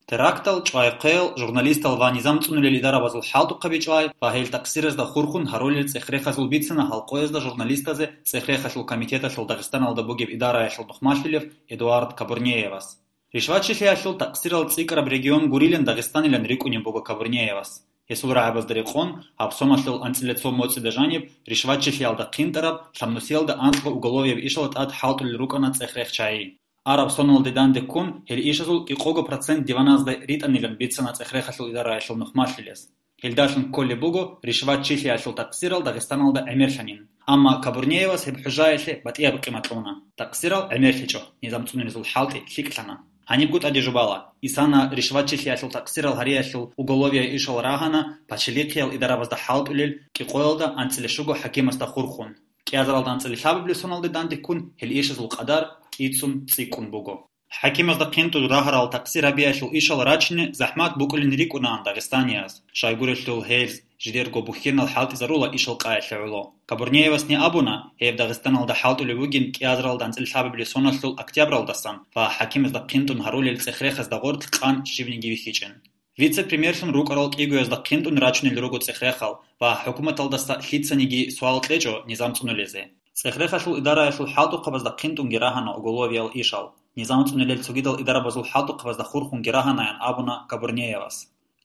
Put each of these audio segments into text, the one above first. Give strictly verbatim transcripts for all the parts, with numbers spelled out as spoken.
Терактал чӀвай хъел журналистал ва низам цӀунулел идарабазул хӀалтӀухъаби чӀвай ва гьел такъсиразда хурхун гьарулел цӀех-рехазул бицана гьал къоязда журналистазе цӀех-рехалъул комитеталъул Дагъистаналда бугеб идараялъул нухмалъулев Эдуард Кабурнеевас. Ришвачилъиялъул такъсирал цӀикӀкӀараб регион гурилан Дагъистанилан рикӀкӀунеб буго Кабурнеевас. Гьесул рагӀабазда рекъон, гьаб соналъул анцӀила цо моцӀида жаниб ришвачилъиялда хъинтӀараб, лъабнусиялда анкьго уголовияб ишал тӀад хӀалтӀулел рукӀана цӀех-рех чагӀи. Араб соналде данде ккун, гьел ишазул кӀикъого процент диваназда ритӀанилан бицана цӀех-рехалъул идараялъул нухмалъулес. Гьелдалъун кколеб буго ришватчилъиялъул такъсирал Дагъистаналда гӀемерлъанин. Амма Кабурнеевас гьеб хӀужаялъе батӀияб къимат кьуна. Такъсирал гӀемерлъичӀо, низам цӀунилезул хӀалтӀи лъикӀлъана. Гьанибго тӀаде жубала, исана ришватчилъиялъул такъсирал гьариялъул уголовияй ишал рагьана пачалихъиял идарабазда хӀалтӀулел кӀикъоялда анцӀила щуго хӀакимасда хурхун. КӀиазаралда анцӀила лъабабилеб соналде данде ккун гьел ишазул къадар кӀицӀун цӀикӀкӀун буго. ХӀакимазда хъинтӀун рагьарал такъсир гьабиялъул ишал рачине захӀмат букӀулин рикӀкӀунаан дагъистанияз, щайгурелъул гьез жидерго бухьенал хӀалтӀизарула ишал къаялъе гӀоло. Кабурнеевасни абуна, гьеб Дагъистаналда хӀалтӀулеб бугин кӀиазаралда анцӀила лъабабилеб соналъул октябралдасан ва хӀакимазда хъинтӀун гьарулел цӀех-рехазда гъорлъ къан щибниги вихьичӀин. Вице-премьерлъун рукӀарал кӀигоязда хъинтӀун рачунел руго цӀех-рехал ва хӀукуматалдаса лъицаниги суал кьечӀо низам цӀунулезе. ЦӀех-рехалъул идараялъул хӀалтӀухъабазда хъинтӀунги рагьана уголовиял ишал. Низам цӀунулел цогидал идарабазул хӀалтӀухъабазда хурхунги рагьанаян абуна Кабурнеевас.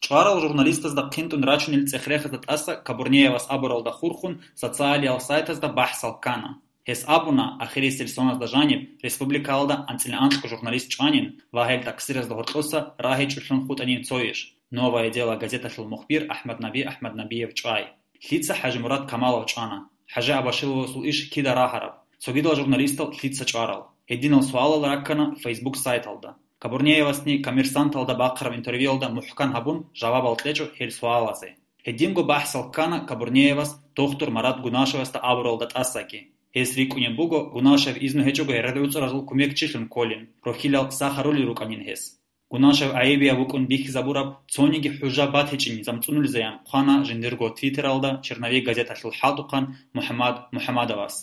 ЧӀварал журналистазда хъинтӀун рачунел цӀех-рехазда тӀаса Кабурнеевас абуралда хурхун социалиял сайтазда бахӀсал ккана. Гьес абуна, ахирисел соназда жаниб республикаялда анцӀила анкьго журналист чӀванин ва гьел такъсиразда гьоркьоса рагьичӀолъун хутӀанин цо иш. «Новое дело» газеталъул мухбир АхӀмаднаби АхӀмаднабиев чӀвай. Лъица ХӀажимурад Камалов чӀвана? ХӀажи Абашиловасул иш кида рагьараб? Цогидал журналистал лъица чӀварал? Гьединал суалал раккана Facebook сайталда. Кабурнеевасни Коммерсанталда бахъараб интервьюялда мухӀкан гьабун жавабал кьечӀо гьел суалазе. Гьединго бахӀсал ккана Кабурнеевас доктор Марат Гунашевасда абуралда тӀасаги. Гьес рикӀкӀунеб буго Гунашев изну гьечӀого гӀергъи-уцӀаразул кумекчилъун кколин, рохьилал сах гьарулел рукӀанин гьес. Гунашев гӀайибияб вукӀун бихьизабураб цониги хӀужа батичӀин низам цӀунулезаян хъвана жиндирго Твиттералда «Черновик» газеталъул хӀалтӀухъан МухӀаммад МухӀаммадовас.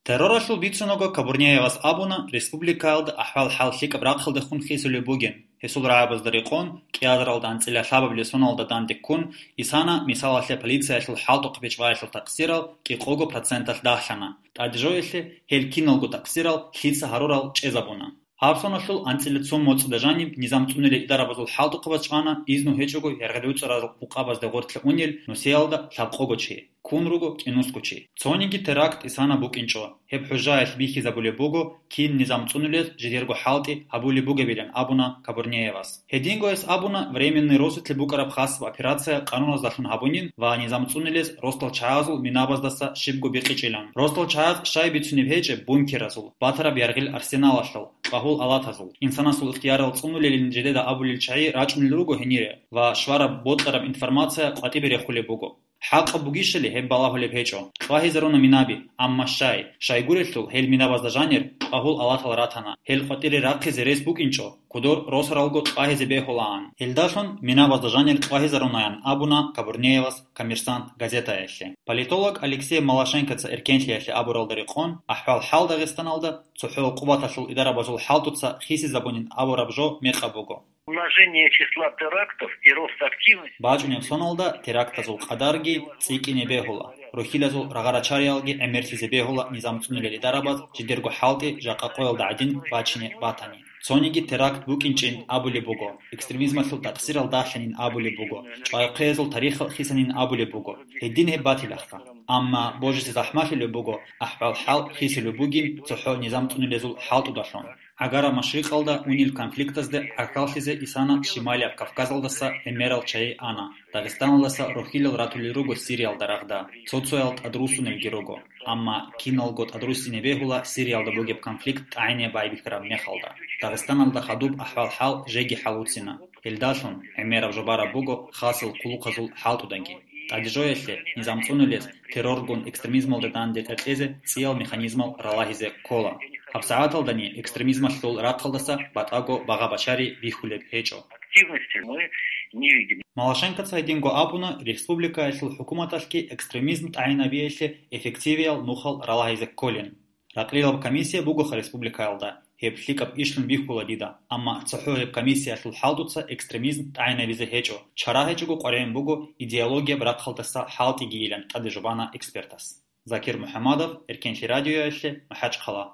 Терроралъул бицунаго Кабурнеевас абуна, республикаялда ахӀвал-хӀал лъикӀаб рахъалдехун хисулеб бугин, гьесул рагӀабазда рекъон, кӀиазаралда анцӀила лъабабилеб соналда данде ккун, исана, мисалалъе, полициялъул хӀалтӀухъаби чӀваялъул такъсирал кӀикъого проценталъ дагьлъана. ТӀаде жоялъе, гьел киналго такъсирал лъица гьарурал чӀезабуна. Гьаб соналъул анцӀила цо моцӀида жаниб низам цӀунулел идарабазул хӀалтӀухъабаз чӀвана изну гьечӀого гӀергъи-уцӀарал букъабазде гъорлъе унел нусиялда лъабкъого чи. Ккун руго кӀинусго чи. Цониги теракт исана букӀинчӀо. Гьеб хӀужаялъ бихьизабулеб буго, кин низам цӀунулез жидерго хӀалтӀи гьабулеб бугебилан абуна Кабурнеевас. Гьединго гьес абуна, временный росулъе букӀараб хасаб операция къануназдалъун гьабунин ва низам цӀунулез росдал чагӀазул минабаздаса щибго бикъичӀилан. Росдал чагӀаз щай бицунеб гьечӀеб бункеразул, батараб яргъил арсеналалъул, кьвагьул алатазул. Инсанасул ихтиярал цӀунулелин жидеда абулел чагӀи рачӀунел руго гьенире ва швараб бокьараб информация къватӀибе рехулеб буго. ХӀакъаб бугищали гьеб балагьулеб гьечӀо. Кьвагьизаруна минаби, амма щай, щайгурелъул гьел минабазда жанир кьвагьул алатал ратана. Гьел къватӀире рахъизе рес букӀинчӀо, кодор росаралго кьвагьизе бегьулаан. Гьелдалъун минабазда жанир кьвагьизарунаян абуна Кабурнеевас «Коммерсант» газетаялъе. Политолог Алексей Малашенкоца эркенлъиялъе абуралда рекъон, ахӀвал-хӀал Дагъистаналда цохӀо къуваталъул идарабазул хӀалтӀуца хисизабунин абураб жо мекъаб буго. Умножение числа терактов и рост активности. БачӀунеб соналда терактазул къадарги цӀикӀкӀине бегьула, рохьилазул рагъа-рачариялги гӀемерлъизе бегьула низам цӀунулел идарабаз жидерго хӀалтӀи жакъа къоялда гӀадин бачине батани. Цониги теракт букӀинчӀин абулеб буго, экстремизмалъул такъсирал дагьлъанин абулеб буго, чӀвайхъиязул тарихал хисанин абулеб буго. Гьедин гьеб батилаха. Амма божизе захӀмалъулеб буго, ахӀвал-хӀал хисулеб бугин цохӀо низам цӀунулезул хӀалтӀудалъун. ГӀагараб Машрикъалда унел конфликтазде гӀахьаллъизе исана Шималияб Кавказалдаса гӀемерал чагӀи ана. Дагъистаналдаса рохьилал ратулел руго Сириялда рагъда. Цо-цоял тӀадруссунелги руго. Амма киналго тӀадруссине бегьула Сириялда бугеб конфликт тӀагӀине байбихьараб мехалда. Дагъистаналда хадуб ахӀвал-хӀал жеги хӀалуцина. Гьелдалъун гӀемераб жо бараб буго хасил хъулухъазул хӀалтӀудаги. ТӀадежоялъе низам цӀунулез терроргун экстремизмалда данде тӀекьезе цӀиял механизмал ралагьизе ккола. ГьабсагӀаталдани экстремизмалъул рахъалдаса батӀаго багъа-бачари бихьулеб гьечӀо. Активности мы не видим. Малашенкоца гьединго абуна, республикаялъул хӀукуматалъги экстремизм тӀагӀинабиялъе эффективиял нухал ралагьизе кколин. Ракълилаб комиссия бугоха республикаялда. Гьеб лъикӀаб ишлъун бихьула дида, амма цохӀо гьеб комиссиялъул хӀалтӀуца экстремизм тӀагӀинабизе гьечӀо, чара гьечӀого къваригӀун буго идеологияб рахъалдаса хӀалтӀигийилан, тӀаде жубана экспертас. Закир МухӀамадов, Эркенлъи радиоялъе, МахӀачхъала.